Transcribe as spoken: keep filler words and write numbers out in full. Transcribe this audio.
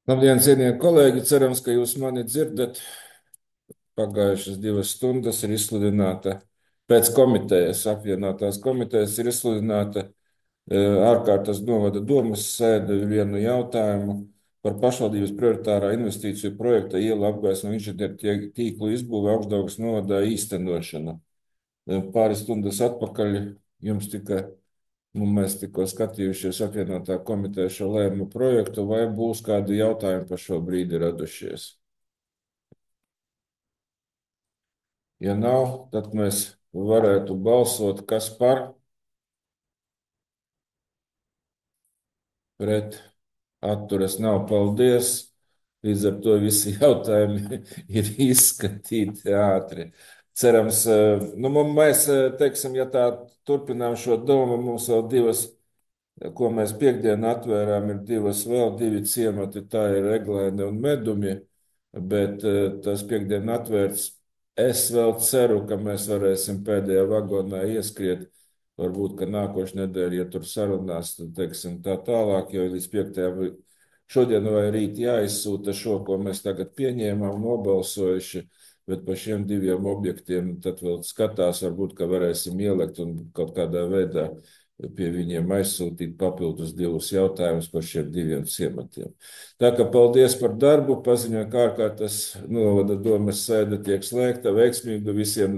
Labdien, cienījamie kolēģi! Cerams, ka jūs mani dzirdat. Pagājušas divas stundas ir izsludināta pēc komitejas, apvienotās komitejas ir izsludināta eh, ārkārtas novada domas sēde vienu jautājumu par pašvaldības prioritārā investīciju projekta ielu apgaismu inženieru tīklu izbūve Augšdaugavas novadā īstenošanu. Eh, Pāris stundas atpakaļ jums tika Nu, mēs tikko skatījušies apvienotā komiteja šo lēmumu projektu, vai būs kādi jautājumi par šo brīdi radušies. Ja nav, tad mēs varētu balsot, kas par, pret, atturas nav. Paldies! Līdz ar to visi jautājumi ir izskatīti ātri. Cerams, eh, nu, mums- mēs, eh, teiksim, ja tā turpinām šo domu, mums vēl divas ko mēs piekdien atvērām, ir divas vēl divi ciemati, tā ir Eglēne un Medumi, bet eh, tas piekdien atvērts. Es vēl ceru, ka mēs varēsim pēdējā vagonā ieskriet. Varbūt, ka nākošais nedēļa, ja tur sarunās, tad teiksim tā tālāk, jo līdz piektajam šodien vai rīt jāizsūta šo, ko mēs tagad pieņēmām, nobalsojuši, bet par šiem diviem objektiem tad vēl skatās, varbūt, ka varēsim ielikt un kaut kādā veidā pie viņiem aizsūtīt papildus divus jautājumus par šiem diviem ciematiem. Tā kā paldies par darbu, paziņoju, kā ārkārtas novada domas sēde tiek slēgta, veiksmīgu visiem.